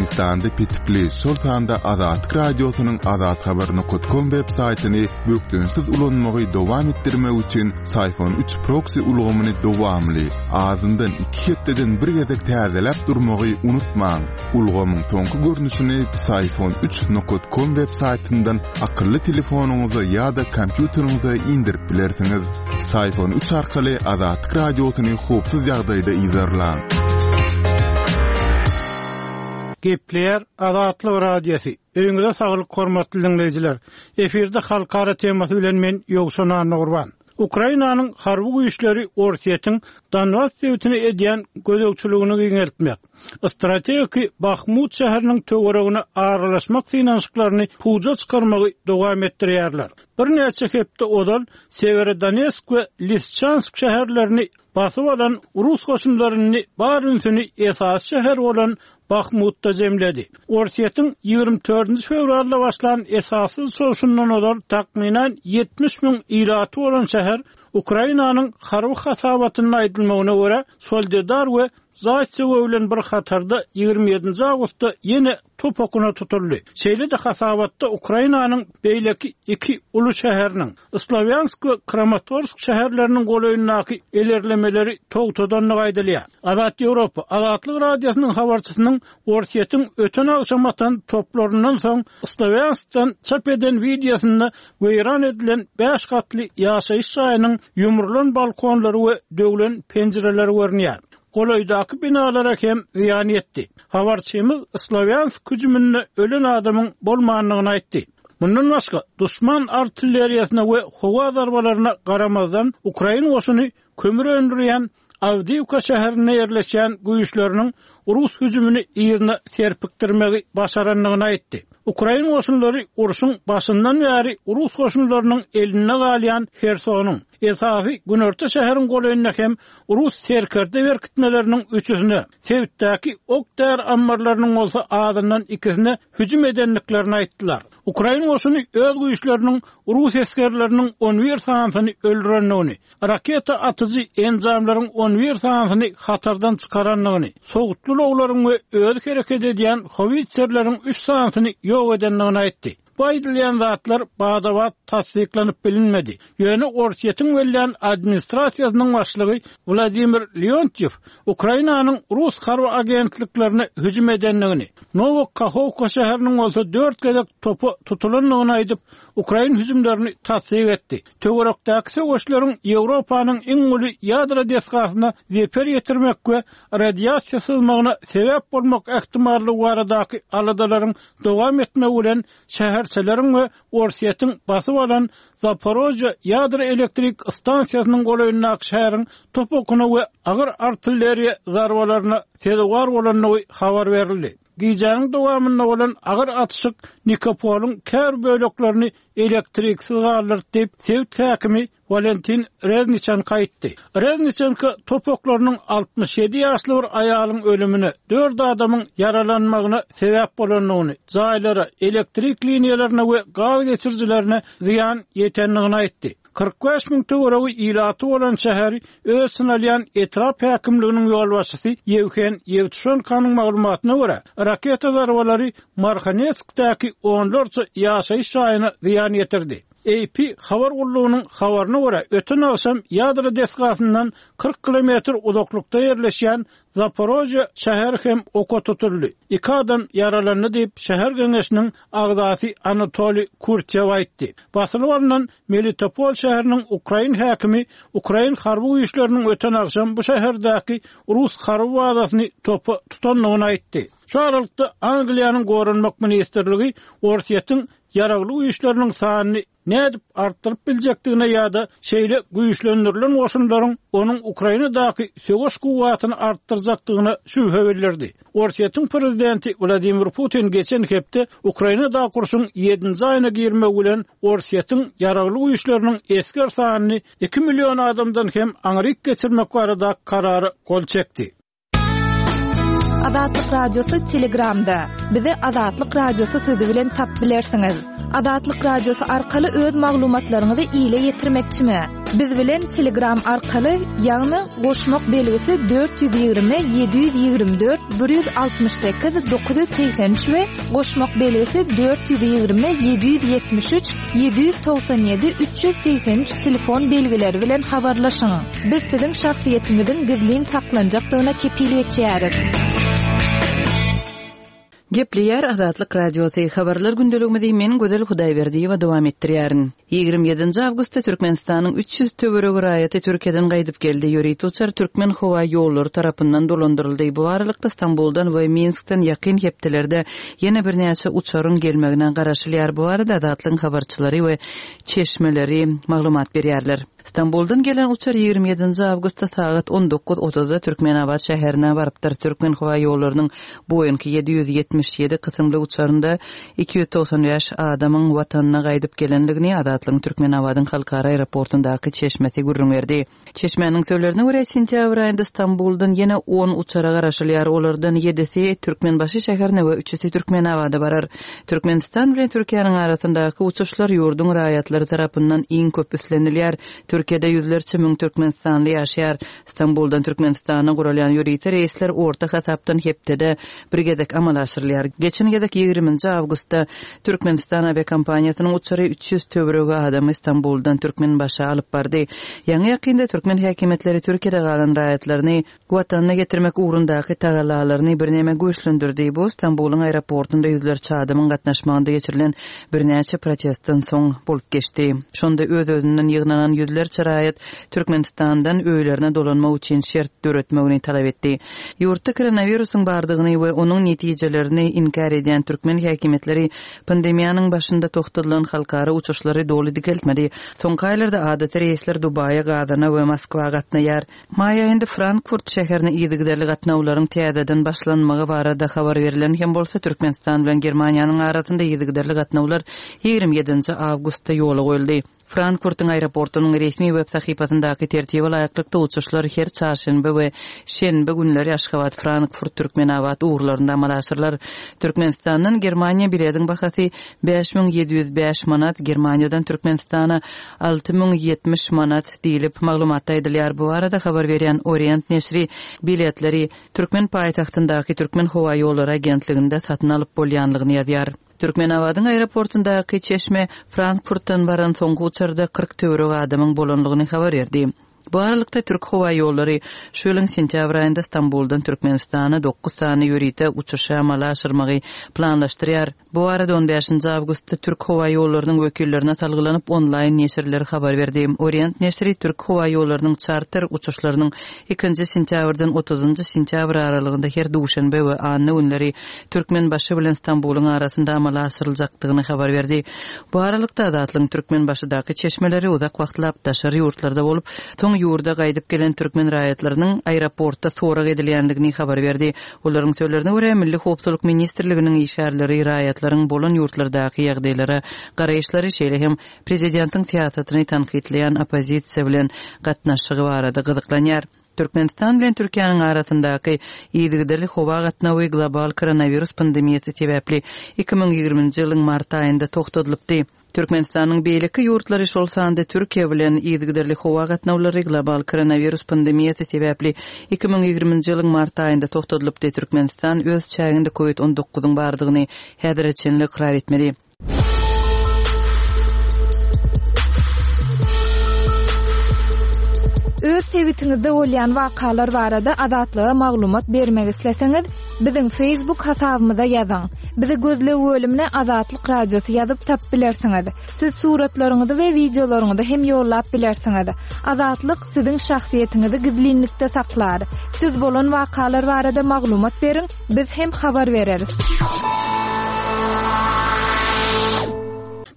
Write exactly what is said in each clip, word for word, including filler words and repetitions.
Türkmenistanda petikli, şol sanda Azatlyk Radiosynyň azathabar nokat com web saýtyny bökdençsiz ulanmagy dowam etdirmek üçin Psiphon üç proksi ulgamyny dowamly, azyndan iki hepdeden bir gezek täzeläp durmagy unutmaň. Ulgamyň soňky görnüşini Psiphon üç nokat com web saýtyndan akylly telefonyňyza ýa-da kompýuteriňize indirip bilersiňiz. Psiphon üç arkaly Azatlyk Radiosyny howpsuz ýagdaýda yzarlaň. Gepleýär Azatlyk Radiosy. Öýüňize saglyk hormatly dinleýjiler. Efirde halkara temasy bilen men Ýowşan Annagurban. Ukrainanyň harby güýçleri Orsýetiň Donbas sebitine edýän gözegçiligini giňeltmek, strategik Bahmut şäheriniň töweregine aralaşmak synanyşyklaryny puja çykarmagy dowam etdirýärler. Birnäçe hepde ozal Severodonetsk we Lisçansk şäherlerini basyp alan Rus goşunlaryny bar ünsüni esas şäher bolan Bahmutda jemledi. Orsýetiň ýigrimi dördünji fewralda başlan esassyz çoğuşundan ozal takmynan ýetmiş müň ilaty bolan şäher Ukrainanyň harby hasabatynda aýdylmagyna görä Soledar we Zaýtsewo bilen bir hatarda ýigrimi ýedinji awgustda ýene top okuna tutuldy. Şeýle-de hasabatda Ukrainanyň beýleki iki uly şäheriniň Slavyansk we Kramatorsk şäherleriniň golaýyndaky ilerlemeleri togtadandygy aýdylýar. Azat Ýewropa Azatlyk Radiosynyň habarçysynyň Orsýetiň öten agşam atan toplaryndan soň Slavyanskdan çap eden wideosynda weýran edilen bäş gatly ýaşaýyş jaýynyň ýumrulan balkonlary we döwlen penjireleri görünýär. Golaýdaky binalara hem zyýan ýetdi. Habarçymyz Slavyansk hüjüminde ölen adamyň bolmandygyny aýtdy. Mundan başga düşman artilleriýasyna we howa zarbalaryna garamazdan Ukraina goşuny kömür öndürýän Awdiýewka şäherinde ýerleşýän güýçleriniň Rus hüjümini ýerine serpikdirmegi başarandygyny aýtdy. Ukraina goşunlary urşuň başyndan bäri Rus goşunlarynyň elinde galýan Hersonyň esasy günorta şäheriň golaýynda hem Rus serkerde berkitmeleriniň üçüsine, sebitdäki ok-däri ammarlarynyň bolsa azyndan ikisine hüjüm edendiklerini aýtdylar. Ukraina goşuny öz güýçleriniň Rus esgerleriniň on bir sanysyny öldürendigini, raketa atyjy enjamlaryň on bir sanysyny hatardan çykarandygyny, sowutly ulaglaryň we öz hereket edýän howitserleriň üç sanysyny ýok edendigini aýtdy. Bu aýdylýan zatlar badabat tassyklanyp bilinmedi. Ýöne Orsýetiň welýän administrasiýasynyň başlygy Wladimir Leontyew Ukrainanyň Rus harby agentliklerine hüjüm edendigini, Nowokahovka şäheriniň bolsa dört gezek topa tutulandygyny aýdyp, Ukrain hüjümlerini tassyk etdi. Töwerekdäki söweşleriň Ýewropanyň iň uly ýadro desgasyna zeper ýetirmek we radiasiýa syzmagyna sebäp bolmak ähtimallygy baradaky aladalaryň dowam etmegi bilen şäherçeleriň we Orsýetiň basyp alan Zaporojye ýadro elektrik stansiýasynyň golaýyndaky şäheriň top okuna we agyr artilleriýa zarbalaryna sezewar bolandygy habar berildi. Gijäniň dowamynda bolan agyr atyşyk Nikopolyň kär böleklerini elektriksiz galdyrdy diýip sebit häkimi Valentin Rezniçenko aýtdy. Rezniçenko top oklarynyň altmyş ýedi ýaşly bir aýalyň ölümine, dört adamyň ýaralanmagyna sebäp bolandygyny, jaýlara, elektrik liniýalaryna we gaz geçirijilerine zyýan ýetendigini aýtdy. Kyrk bäş müň töweregi ilaty bolan şäheri öz sınalýan etrap häkimliginiň ýolbaşçysy Ýewhen Ýewtuşenkonyň maglumatyna görä, raketa zarbalary Marhanetskdäki onlarça ýaşaýyş jaýyna zyýan ýetirdi. A P habar gullugynyň habaryna görä, öten agşam ýadro desgasyndan kyrk kilometr uzaklykda ýerleşýän Zaporojye şäheri hem oka tutuldy. Iki adam ýaralandy diýip şäher geňeşiniň agzasy Anatoliy Kurtyew aýtdy. Basylyp alnan Melitopol şäheriniň Ukrain häkimi Ukrain harby güýçleriniň öten agşam bu şäherdäki Rus harby bazasyny topa tutandygyny aýtdy. Şu aralykda Angliýanyň Goranmak ministrligi Orsýetiň ýaragly güýçleriniň sanyny nädip artdyryp biljekdigine ýa-da şeýle güýçlendirilen goşunlaryň onuň Ukrainadaky söweş kuwwatyny artdyrjakdygyna şübhe bildirdi. Orsýetiň prezidenti Wladimir Putin geçen hepde Ukrainadaky urşuň ýedinji aýyna girmegi bilen Orsýetiň ýaragly güýçleriniň esger sanyny iki million adamdan hem aňryk geçirmek barada karara gol çekdi. Azatlyk Radiosy Telegramda. Bizi Azatlyk Radiosy sözi bilen tap bilersiňiz. Azatlyk Radiosy arkaly öz maglumatlaryňyzy ile ýetirmekçimi? Biz bilen Telegram arkaly, ýagny goşmak belgisi dört ýüz ýigrimi ýedi ýüz ýigrimi dört bir ýüz altmyş sekiz dokuz ýüz segsen üç we goşmak belgisi dört ýüz ýigrimi ýedi ýüz ýetmiş üç ýedi ýüz togsan ýedi üç ýüz segsen üç telefon belgileri bilen habarlaşyň. Biz siziň şahsyýetiňiziň gizlin saklanjakdygyna kepil geçýäris. Gepleýär Azatlyk Radiosy. Habarlar gündeligimizi men Gözel Hudaýberdiýewa dowam etdirýärin. Ýigrimi ýedinji awgustda Türkmenistanyň üç ýüz töweregi raýaty Türkiýeden gaýdyp geldi. Ýörite uçar Türkmen howa ýollary tarapyndan dolandyryldy. Bu aralykda Stambuldan we Minskden ýakyn hepdelerde ýene birnäçe uçaryň gelmegine garaşylýar. Bu barada Azatlygyň habarçylary we çeşmeleri maglumat berýärler. Stambuldan gelen uçar ýigrimi ýedinji awgustda sagat on dokuz otuzda Türkmenabat şäherine barypdyr. Türkmen howa ýollarynyň Boeing ýedi ýüz ýetmiş ýedi kysymly uçarynda iki ýüz togsan bäş adamyň watanyna gaýdyp gelendigini Azatlygyň Türkmenabadyň halkara aeroportundaky çeşmesi gürrüň berdi. Çeşmäniň sözlerine görä, sentýabr aýynda Stambuldan ýene on uçara garaşylýar. Olardan ýedisi Türkmenbaşy şäherine we üçüsi Türkmenabada barar. Türkmenistan bilen Türkiýäniň arasyndaky uçuşlar ýurduň raýatlary tarapyndan iň köp islenilýär. Türkiýede ýüzlerçe müň türkmenistanly ýaşaýar. Stambuldan Türkmenistana guralýan ýörite reýsler orta hasapdan hepdede bir gezek amala aşyrylýar. Geçen gezek ýigriminji awgustda Türkmenistan awiakompaniýasynyň uçary üç ýüz töweregi adamy Stambuldan Türkmenbaşa alyp bardy. Ýaňy-ýakynda türkmen häkimiýetleri Türkiýede galan raýatlaryny watanyna getirmek ugrundaky tagallalaryny birneme güýçlendirdi. Bu Stambulyň aeroportunda ýüzlerçe adamyň gatnaşmagynda geçirilen birnäçe protestden soň bolup geçdi. Şonda öz-özünden ýygnanan ýüzlerçe raýat Türkmenistandan öýlerine dolanmak üçin şert döretmegini talap etdi. Ýurtda koronawirusyň bardygyny we onuň netijelerini inkär edýän türkmen häkimiýetleri pandemiýanyň başynda togtadylan halkara uçuşlary doly dikeltmedi. Soňky aýlarda adaty reýsler Dubaýa, Gazana we Moskwa gatnaýar. Maý aýynda Frankfurt şäherine yzygiderli gatnawlaryň täzeden başlanmagy barada habar berlen hem bolsa, Türkmenistan bilen Germaniýanyň arasynda yzygiderli gatnawlar ýigrimi ýedinji awgustda ýola goýuldy. Frankfurtyň aeroportunyň resmi web sahypasyndaky tertibe laýyklykda uçuşlar her çarşenbe we şenbe günleri Aşgabat, Frankfurt, Türkmenabat ugurlarynda amala aşyrylar. Türkmenistandan Germaniýa bilediň bahasy bäş müň ýedi ýüz bäş manat, Germaniýadan Türkmenistana alty müň ýetmiş manat diýlip maglumatda aýdylýar. Bu barada habar berýän Orient neşiri biletleri Türkmen paýtagtyndaky Türkmen howa ýollary agentliginde satyn alyp bolýanlygyny ýazýar. Türkmenabadyň aeroportundaky çeşme Frankfurtdan baran soňky uçarda kyrk töweregi adamyň bolanlygyny habar berdi. Bu aralykda Türk howa ýollary şu ýylyň sentýabr aýynda Stambuldan Türkmenistana dokuz sany ýörite uçuşy amala aşyrmagy planlaşdyrýar. Bu barada on bäşinji awgustda Türk howa ýollarynyň wekillerine salgylanyp onlaýn neşirler habar berdi. Orient neşiri Türk howa ýollarynyň çarter uçuşlarynyň ikinji sentýabrdan otuzynjy sentýabr aralygynda her duşenbe we anna günleri Türkmenbaşy bilen Stambulyň arasynda amala aşyryljakdygyny habar berdi. Bu aralykda Azatlygyň Türkmenbaşydaky çeşmeleri uzak wagtlap daşary ýurtlarda bolup, soň ýurda gaýdyp gelen türkmen raýatlarynyň aeroportda sorag edilýändigini habar berdi. Olaryň sözlerine görä, Milli Howpsuzlyk ministrliginiň işgärleri raýatlaryň bolan ýurtlardaky ýagdaýlara garaýyşlary, şeýle hem prezidentiň syýasatyny tankytlaýan oppozisiýa bilen gatnaşygy barada gyzyklanýar. Türkmenistan bilen Türkiýäniň arasyndaky yzygiderli howa gatnawy global koronawirus pandemiýasy sebäpli iki müň ýigriminji ýylyň mart aýynda togtadylypdy. Türkmenistanyň beýleki ýurtlary, şol sanda Türkiýe bilen yzygiderli howa gatnawlary global koronawirus pandemiýasy sebäpli iki müň ýigriminji ýylyň mart aýynda togtadylypdy. Türkmenistan öz çäginde COVID on dokuzyň bardygyny häzire çenli ykrar etmedi. Öz sebitiňizde bolýan wakalar barada Azatlyga maglumat bermek isleseňiz, biziň Facebook hasabymyza ýazyň. Bizi gözleg bölümine Azatlyk Radiosy ýazyp tap bilersiňiz. Siz suratlaryňyzy we wideolaryňyzy hem ýollap bilersiňiz. Azatlyk siziň şahsyýetiňizi gizlinlikde saklar. Siz bolan wakalar barada maglumat beriň, biz hem habar bereris.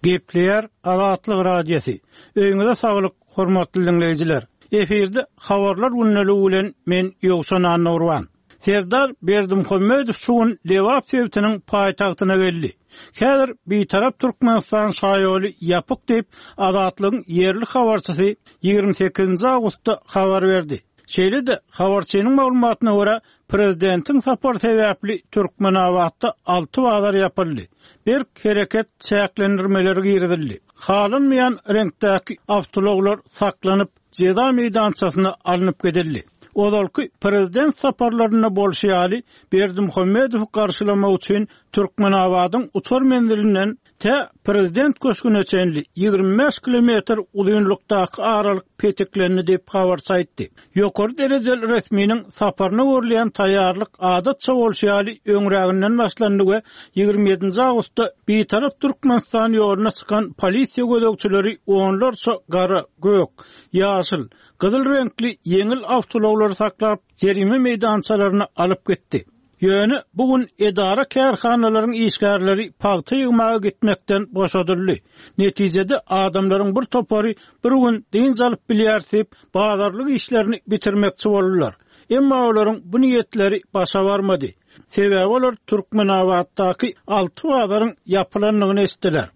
Gepleýär Azatlyk Radiosy. Öýüňize saglyk, hormatly dinleýjiler. Efirde habarlar günlügi bilen men Ýowşan Annurwan. Serdar Berdimuhamedow şu gün Lebap sebitiniň paýtagtyna geldi. Häzir Bitarap Türkmenistan şaýoly ýapyk diýip Azatlygyň ýerli habarçysy ýigrimi sekizinji awgustda habar berdi. Şeýle-de, habarçynyň maglumatyna görä, prezidentiň sapary sebäpli Türkmenabatda alty bazar ýapyldy, berk hereket çäklendirmeleri girizildi. Halanmaýan reňkdäki awtoulaglar saklanyp, jeza meýdançasyna alnyp gidildi. Ozalky prezident saparlarynda bolşy ýaly, Berdimuhamedowy garşylamak üçin Türkmenabadyň uçar menzilinden tä Prezident köşgüne çenli ýigrimi bäş kilometr uzynlykdaky aralyk petiklendi diýip, habarçy aýtdy. Ýokary derejeli resminiň saparyna görülýän taýýarlyk adatça bolşy ýaly öňräginden başlandy we ýigrimi ýedinji awgustda Bitarap Türkmenistan ýoluna çykan polisiýa gözegçileri onlarça gara, gök, ýaşyl, gyzyl reňkli ýeňil awtoulaglary saklap, jerime meýdançalaryna alyp gitdi. Ýöne bu gün edara-kärhanalaryň işgärleri pagta ýygmaga gitmekden boşadyldy. Netijede adamlaryň bir topary bir gün dynç alyp bilýäris diýip, bazarlyk işlerini bitirmekçi boldular. Emma olaryň bu niýetleri başa barmady. Sebäbi olar Türkmenabatdaky alty bazaryň ýapylandygyny eşitdiler.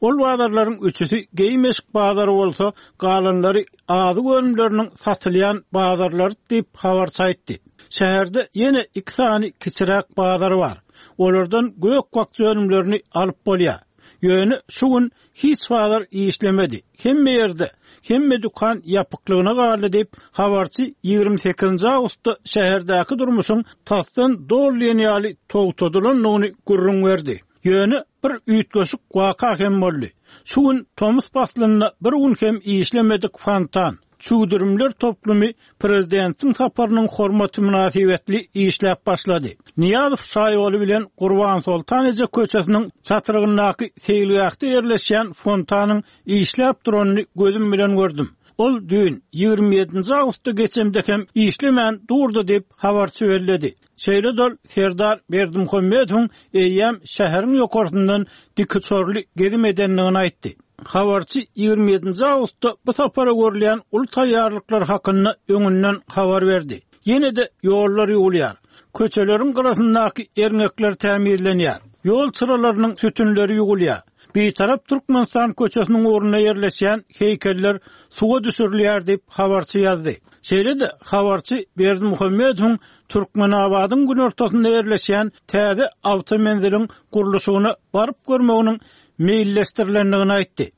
Ol bazarlaryň üçüsi geýim-eşik bazary bolsa, galanlary azyk önümleriniň satylýan bazarlary diýip, habarçy aýtdy. Şäherde ýene iki sany kiçiräk bazar bar. Olardan gök-bakja önümlerini alyp bolýar. Ýöne şu gün hiç bazar işlemedi. Hemme ýerde, hemme dükan ýapyklygyna galdy diýip, habarçy ýigrimi sekizinji awgustda şäherdäki durmuşyň tasdan doly diýen ýaly togtadylandygyny gürrüň berdi. Ýöne bir üýtgeşik waka hem boldy. Şu gün tomus paslynda bir gün hem işlemedik fontan, çüwdürimler toplumy prezidentiň saparynyň hormaty mynasybetli işläp başlady. Nyýazow şaýoly bilen Gurbansoltan eje köçesiniň çatrygyndaky seýilgähde ýerleşýän fontanyň işläp duranyny gözüm bilen gördüm. Ol düýn, ýigrimi ýedinji awgustda geçemde hem işlemän durdy diýip, habarçy belledi. Şeýle-de ol Serdar Berdimuhamedowyň eýýäm şäheriň ýokarsyndan dikuçarly gezim edendigini aýtdy. Habarçy ýigrimi ýedinji awgustda bu sapara görülýän uly taýýarlyklar hakynda öňünden habar berdi. Ýene-de ýollar ýuwulýar. Köçeleriň gyrasyndaky erňekler tämizlenýär. Ýol çyralarynyň sütünleri ýuwulýar. Bitarap Türkmenistan köçesiniň ugrunda ýerleşýän heýkeller suwa düşürilýär diýip, habarçy ýazdy. Şeýle-de, habarçy Berdimuhamedowyň Türkmenabadyň günortasynda ýerleşýän täze awtomenziliň gurluşygyna baryp görmeginiň meýilleşdirilendigini aýtdy.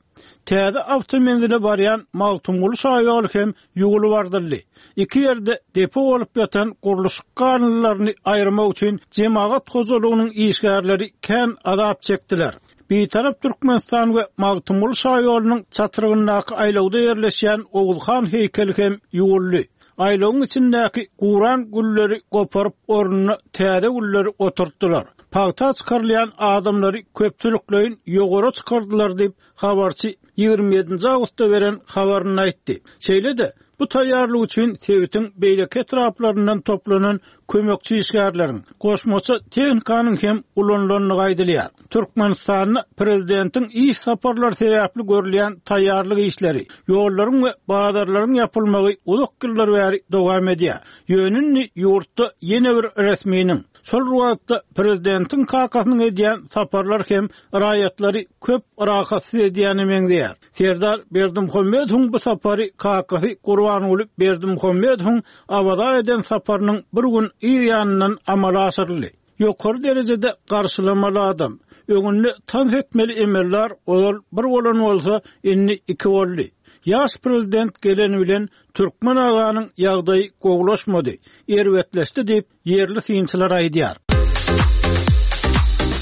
Täze awtomenzile barýan Magtymguly şaýoly hem ýuwulyp ardyldy. Iki ýerde depo bolup ýatan gurluşyk galyndylaryny aýyrmak üçin jemagat hojalygynyň işgärleri kän azap çekdiler. Bitarap Türkmenistan we Magtymguly şaýolunyň çatrygyndaky aýlawda ýerleşýän Oguzhan heýkeli hem ýuwuldy. Aýlawyň içindäki guran gülleri goparyp, ornuna täze gülleri oturtdylar. Pagta çykarylýan adamlary köpçülikleýin ýogara çykardylar diýip, habarçy ýigrimi ýedinji awgustda beren habarynda aýtdy. Şeýle-de, bu taýýarlyk üçin sebitiň beýleki etraplaryndan toplanan kömekçi işgärleriň, goşmaça tehnikanyň hem ulanylandygy aýdylýar. Türkmenistanda prezidentiň iş saparlary sebäpli görülýän taýýarlyk işleri, ýollaryň we bazarlaryň ýapylmagy uzak ýyllar bäri dowam edýär. Ýöne indi ýurtda ýene bir resminiň, şol bir wagtda prezidentiň kakasynyň edýän saparlary hem raýatlary köp rahatsyz edýäne meňzeýär. Serdar Berdimuhamedowyň bu sapary kakasy Gurbanguly Berdimuhamedowyň Awaza eden saparynyň bir gün yz ýanyndan amala aşyryldy. Ýokary derejede garşylamaly adam, öňünde tans etmeli emeldar ozal bir bolan bolsa, indi iki boldy. Ýaş prezident geleni bilen Türkmen aganyň ýagdaýy gowulaşmady, erbetleşdi diýip, ýerli synçylar aýdýar.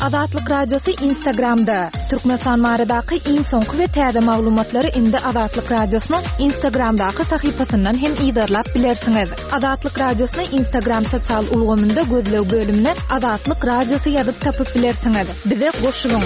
Azatlyk Radiosy Instagramda. Türkmenistan baradaky iň soňky we täze maglumatlary indi Azatlyk Radiosynyň Instagramdaky sahypasyndan hem yzarlap bilersiňiz. Azatlyk Radiosyny Instagram sosial ulgamynda gözleg bölümine Azatlyk Radiosy ýazyp tapyp bilersiňiz. Bize goşulyň!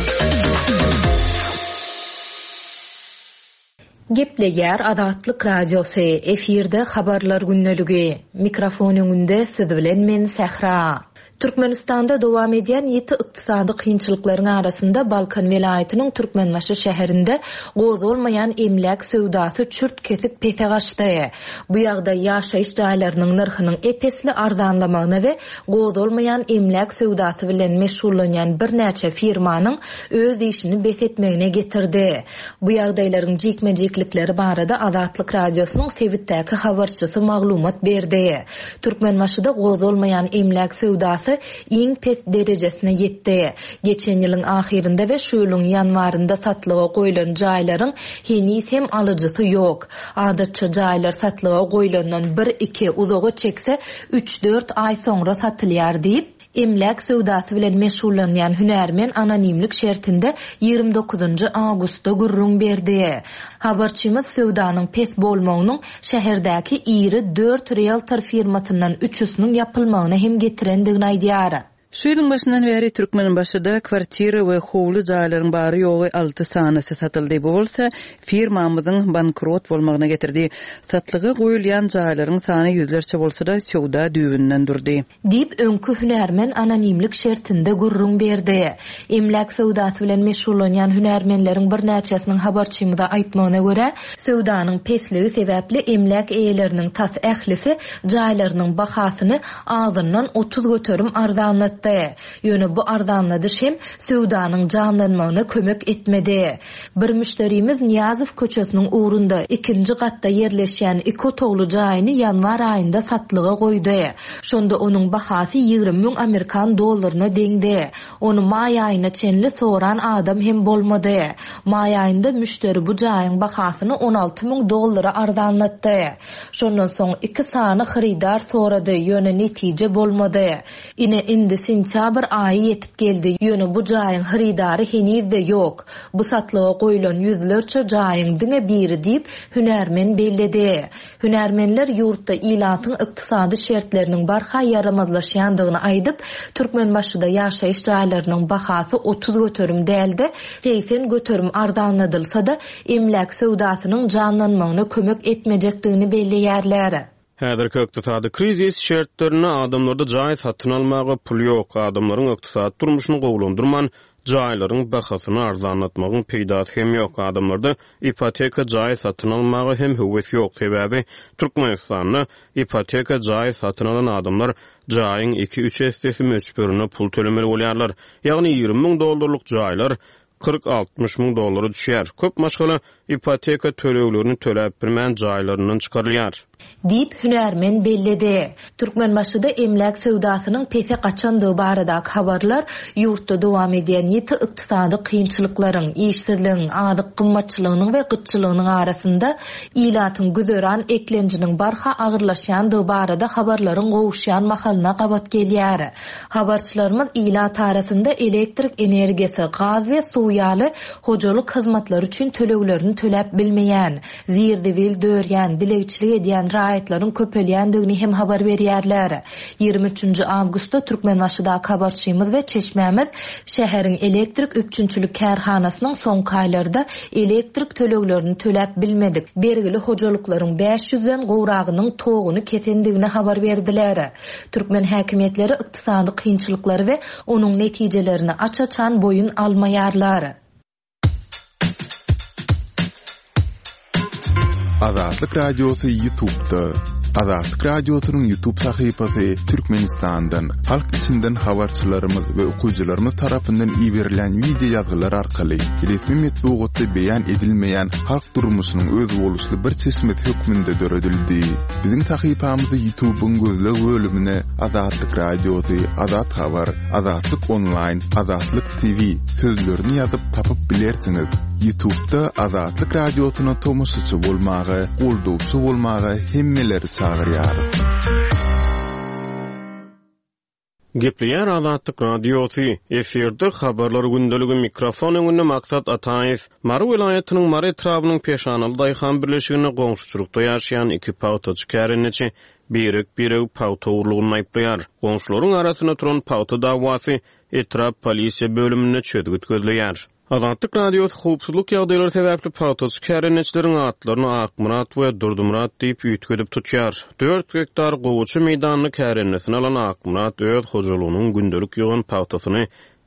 Gepleýär Azatlyk Radiosy, efirde Habarlar gündeligi. Mikrofon öňünde siz bilen men Sähra. Türkmenistanda dowam edýän ýiti ykdysady kynçylyklaryň arasynda Balkan welaýatynyň Türkmenbaşy şäherinde gozgalmaýan emläk söwdasy çürt-kesik pese gaçdy. Bu ýagdaý ýaşaýyş jaýlarynyň nyrhynyň ep-esli arzanlamagyna we gozgalmaýan emläk söwdasy bilen meşgullanýan birnäçe firmanyň öz işini bes etmegine getirdi. Bu ýagdaýlaryň jikme-jiklikleri barada Azatlyk Radiosynyň sebitdäki habarçysy maglumat berdi. Türkmenbaşyda gozgalmaýan emläk söwdasy iň pes derejesine ýetdi. Geçen ýylyň ahyrynda we şu ýylyň ýanwarynda satlyga goýlan jaýlaryň heniz hem alyjysy ýok. Adatça jaýlar satlyga goýlandan bir-iki, uzaga çekse üç-dört aý soňra satylýar diýip, emläk söwdasy bilen meşgullanýan hünärmen anonimlik şertinde ýigrimi dokuzynjy awgustda gürrüň berdi. Habarçymyz söwdanyň pes bolmagynyň şäherdäki iri dört rieltor firmasyndan üçüsiniň ýapylmagyna hem getirendigini aýdýar. Şu ýylyň başyndan bäri Türkmenbaşyda kwartira we howly jaýlaryň bary-ýogy alty sanysy satyldy. Bu bolsa firmamyzyň bankrot bolmagyna getirdi. Satlyga goýulýan jaýlaryň sany ýüzlerçe bolsa-da, söwda düýbünden durdy. Diýip, öňki hünärmen anonimlik şertinde gürrüň berdi. Emläk söwdasy bilen meşgullanýan hünärmenleriň birnäçesiniň habarçymyza aýtmagyna görä, söwdanyň pesligi sebäpli emläk eýeleriniň tas ählisi jaýlarynyň bahasyny azyndan otuz göterim arzanlatdy. Ýöne bu arzanladyş hem söwdanyň janlanmagyna kömek etmedi. Bir müşderimiz Nyýazow köçesiniň ugrunda ikinji gatda ýerleşýän iki otagly jaýyny ýanwar aýynda satlyga goýdy. Şonda onuň bahasy ýigrimi müň amerikan dollaryna deňdi. Ony maý aýyna çenli soran adam hem bolmady. Maý aýynda müşderi bu jaýyň bahasyny on alty müň dollara arzanlatdy. Şondan soň iki sany hyrydar sorady, ýöne netije bolmady. Ine indi sentýabr aýy ýetip geldi, ýöne bu jaýyň hyrydary heniz-de ýok. Bu satlyga goýlan ýüzlerçe jaýyň diňe biri diýip, hünärmen belledi. Hünärmenler ýurtda ilatyň ykdysady şertleriniň barha ýaramazlaşýandygyny aýdyp, Türkmenbaşyda ýaşaýyş jaýlarynyň bahasy otuz göterim däldi, segsen göterim arzanladylsa-da, emläk söwdasynyň janlanmagyna kömek etmejekdigini belleýärler. Häzirki ykdysady krizis şertlerinde adamlarda jaý satyn almaga pul ýok. Adamlaryň ykdysady durmuşyny gowulandyrman, jaýlaryň bahasyny arzanlatmagyň peýdasy hem ýok. Adamlarda ipoteka jaý satyn almaga hem höwes ýok. Sebäbi Türkmenistanda ipoteka jaý satyn alan adamlar jaýyň iki-üç essesi möçberinde pul tölemeli bolýarlar. Ýagny ýigrimi müň dollarlyk jaýlar kyrk-altmyş müň dollara düşýär. Köp maşgala ipoteka töleglerini töläp bilmän jaýlaryndan çykarylýar. Diýip hünärmen belledi. Türkmenbaşyda emläk söwdasynyň pese gaçandygy baradaky habarlar ýurtda dowam edýän ýiti ykdysady kynçylyklaryň, işsizligiň, azyk gymmatçylygynyň we gytçylygynyň arasynda ilatyň güzeran eklenjiniň barha agyrlaşýandygy barada habarlaryň gowuşýan mahalyna gabat gelýär. Habarçylarymyz ilat arasynda elektrik energiýasy, gaz we suw ýaly hojalyk hyzmatlary üçin töleglerini töläp bilmeýän, zir-zibil dörýän, dilegçilik edýän raýatlaryň köpelýändigini hem habar berýärler. Ýigrimi üçünji awgustda Türkmenbaşydaky habarçymyz we çeşmämiz şäheriň elektrik üpjünçilik kärhanasynyň soňky aýlarda elektrik töleglerini töläp bilmedik, bergili hojalyklaryň bäş ýüzden gowragynyň toguny kesendigini habar berdiler. Türkmen häkimiýetleri ykdysady kynçylyklary we onuň netijelerini aç-açan boýun almaýarlar. Azatlyk Radiosy YouTube'da. Azatlyk Radiosynyň YouTube sahypasy Türkmenistandan, halk içinden habarçylarymyz we okyjylarymyz tarapyndan iberilen video ýazgylar arkaly resmi metbugatda beýan edilmeýän halk durmuşynyň özboluşly bir çeşmesi hökmünde döredildi. Biziň sahypamyzy YouTube'yň gözleg bölümine Azatlyk Radiosy, Azat Habar, Azatlyk Online, Azatlyk T V sözlerini ýazyp tapyp bilersiňiz. YouTube'da Azatlyk Radiosyna tomaşaçy bolmaga, goldawçy bolmaga hemmeleri çagyrýarys. Gepleýär Azatlyk Radiosy, efirde habarlar gündeligi, mikrofon öňünde Maksat Ataýew. Mary welaýatynyň Mary etrabynyň Peşanaly daýhan birleşiginde goňşuçylykda ýaşaýan iki pagtaçy kärendeçi birek-biregi pagta ogurlygyny aýyplaýar. Goňşularyň arasynda turan pagta dawasy etrap polisiýa bölüminde çözgüt gözleýär. Azatlyk Radiosy howpsuzlyk ýagdaýlary sebäpli pagtaçy kärendeçileriň atlaryny Akmyrat we Durdymyrat diýip üýtgedip tutýar. Dört gektar gowaça meýdanyny kärendesine alan Akmyrat öz hojalygynyň gündelik ýygan pagtasyny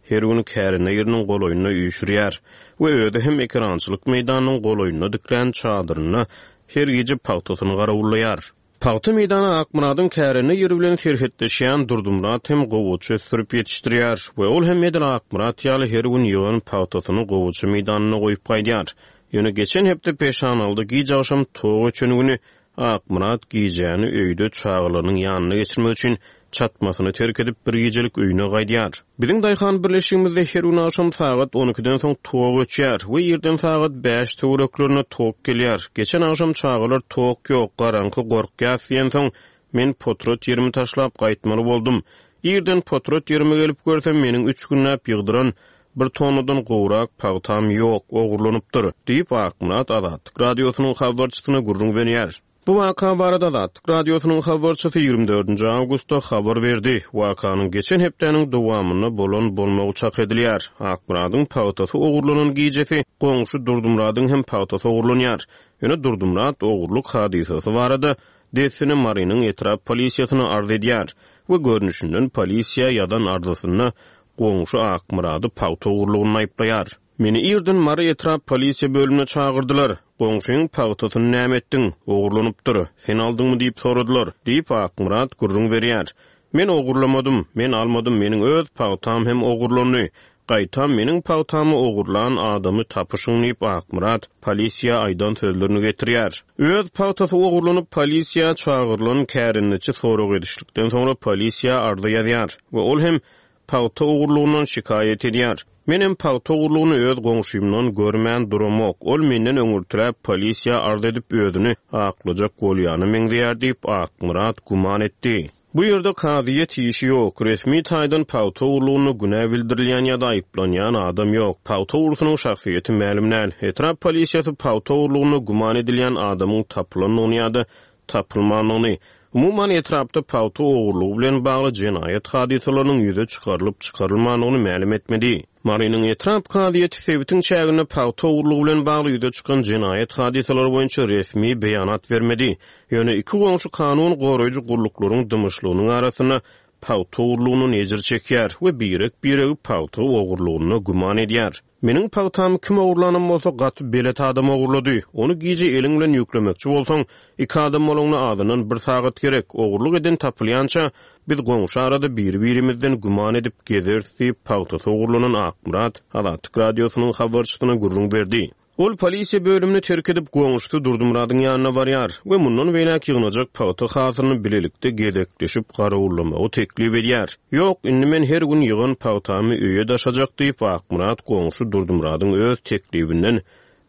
her gün kärende ýeriniň golaýynda üýşürýär we özi hem ekerançylyk meýdanynyň golaýynda diklän çadyrynda her gije pagtasyny garawullaýar. Pagta meýdany Akmyradyň kärende ýeri bilen serhetleşýän Durdymyrat hem gowaça ösdürip ýetişdirýär we ol hem edil Akmyrat ýaly her gün ýygan pagtasyny gowaça meýdanynda goýup gaýdýar. Ýöne geçen hepde peşanalyda giç agşam tok öçen güni Akmyrat gijäni öýde çagalarynyň ýanynda geçirmek üçin çatmasyny terk edip bir gijelik öýüne gaýdýar. Biziň daýhan birleşigimizde her gün agşam sagat on ikiden soň tok öçýär we irden sagat bäş töwereklerinde tok gelýär. Geçen agşam çagalar tok ýok, garaňky gorkýas diýensoň men potrat ýerimi taşlap gaýtmaly boldum. Irden potrat ýerime gelip görsem meniň üç günläp ýygdyran bir tonnadan gowrak pagtam ýok, ogurlanypdyr diýip Akmyrat Azatlyk Radiosynyň habarçysyna gürrüň berýär. Bu waka barada Azatlyk Radiosynyň habarçysy ýigrimi dördünji awgustda habar berdi. Wakanyň geçen hepdäniň dowamynda bolan bolmagy çak edilýär. Akmyradyň pagtasy ogurlanan gijesi goňşy Durdymyradyň hem pagtasy ogurlanýar. Ýöne Durdymyrat ogurlyk hadysasy barada dessine Marynyň etrap polisiýasyna arz edýär we görnüşinden polisiýa ýadan arzasynda goňşy Akmyrady pagta ogurlygyny aýyplaýar. Meni irden Mary etrap polisiýa bölümine çagyrdylar. Goňşyň pagtasyny näme etdiň? Ogurlanypdyr. Sen aldyňmy diýip soradylar, diýip Akmyrat gürrüň berýär. Men ogurlamadym, men almadym, meniň öz pagtam hem ogurlandy. Gaýtam meniň pagtamy ogurlan adamy tapyşyň diýip Akmyrat polisiýa aýdan sözlerini getirýär. Öz pagtasy ogurlanyp polisiýa çagyrylan kärendeçi sorag edişlikden soňra polisiýa arza ýazýar we ol hem pagta ogurlugyndan şikaýat edýär. Menem pagta ogurlugyny öz goňşymdan görmän duramok. Ol menden öňürtiräp polisiýa arz edip özüni aklajak bolýany meňzeýär diýip Akmyrat güman etdi. Bu ýerde kazyýet işi ýok. Resmi taýdan pagta ogurlugyna günä bildirilýän ýa-da aýyplanýan adam ýok. Pagta ogrusynyň şahsyýeti mälim däl. Etrap polisiýasy pagta ogurlugyna güman edilýän adamyň tapylandygyny ýa-da tapylmandygyny, umuman etrapda pagta ogurlugy bilen bagly jenaýat hadysalarynyň ýüze çykarylyp çykarylmandygyny mälim etmedi. Marynyň etrap kazyýeti sebitiň çäginde pagta ogurlugy bilen bagly ýüze çykan jenaýat hadysalary boýunça resmi beýanat bermedi. Ýöne iki goňşy kanun goraýjy gulluklaryň dymyşlygynyň arasynda pagta ogurlugyny ejir çekýär we birek-biregi pagta ogurlugyna güman edýär. Meniň pagtamy kim ogurlanam bolsa gaty belet adam ogurlady. Ony gije eliň bilen ýüklemekçi bolsaň, iki adam bolanda azyndan bir sagat gerek. Ogurlyk eden tapylýança biz goňşy arada biri-birimizden güman edip gezeris diýip pagtasy ogurlanan Akmyrat Azatlyk Radiosynyň habarçysyna gürrüň berdi. Ol polisiýa bölümini terk edip goňşusy Durdymyradyň ýanyna barýar we mundan beýläk ýygnajak pagta hasylyny bilelikde gezekleşip garawullamagy teklip edýär. Ýok, indi men her gün ýygan pagtamy öýe daşajak diýip Akmyrat goňşy Durdymyradyň öz teklibinden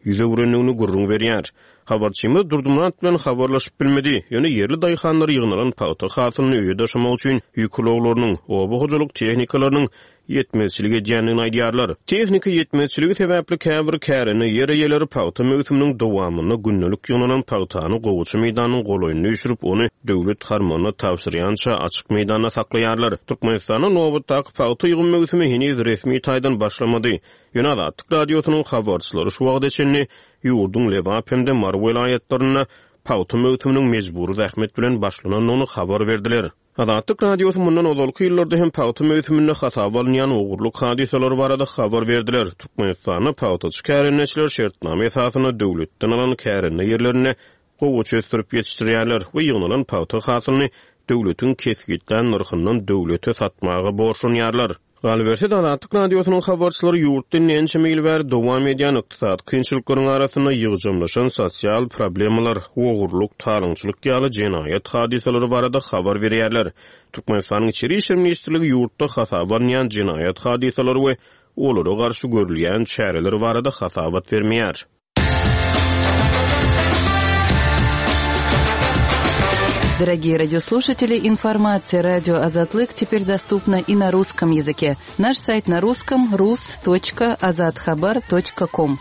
ýüz öwrendigini gürrüň berýär. Habarçymyz Durdymyrat bilen habarlaşyp bilmedi. Ýöne ýerli daýhanlar ýygnalan pagta hasylyny öýe daşamak üçin ýük ulaglarynyň, oba hojalyk tehnikalarynyň ýetmezçilik edýändigini aýdýarlar. Tehnika ýetmezçiligi sebäpli käbir kärende ýer eýeleri pagta möwsüminiň dowamynda gündelik ýygnalan pagtany gowaça meýdanynyň golaýynda üýşürip, ony döwlet harmanyna tabşyrýança açyk meýdanda saklaýarlar. Türkmenistanda nobatdaky pagta ýygym möwsümi heniz resmi taýdan başlamady. Ýöne Azatlyk Radiosynyň habarçylary şu wagta çenli ýurduň Lebap hem-de Mary welaýatlarynda pagta möwsüminiň mejbury zähmet bilen başlanandygyny habar berdiler. Azatlyk Radiosy mundan ozalky ýyllarda hem pagta möwsüminde hasaba alynýan ogurlyk hadysalary barada habar berdiler. Türkmenistanda pagtaçy kärendeçiler şertnama esasynda döwletden alan kärende ýerlerinde gowaça ösdürip ýetişdirýärler we ýygnalan pagta hasylyny döwletiň kesgitlän nyrhyndan döwlete satmaga borçlanýarlar. Galyberse-de Azatlyk Radiosynyň habarçylary ýurtda ençeme ýyl bäri dowam edýän ykdysady kynçylyklaryň arasynda ýygjamlaşan sosial problemalar, ogurlyk, talaňçylyk ýaly jenaýat hadysalary barada habar berýärler. Türkmenistanyň Içeri Işler Ministrligi ýurtda hasaba alynýan jenaýat hadysalary we olara garşy görülýän çäreler barada hasabat bermeýär. Дорогие радиослушатели, информация радио Азатлык теперь доступна и на русском языке. Наш сайт на русском рус точка азатхабар точка ком.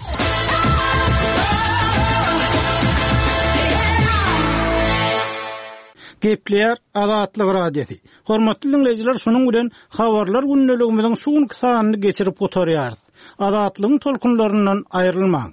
Gepleýär Azatlyk Radiosy. Hormatly dinleýjiler, şunuň bilen habarlar gündeligimiziň şu günki sanyny geçirip gutarýarys. Azatlygyň tolkunlaryndan aýrylmaň.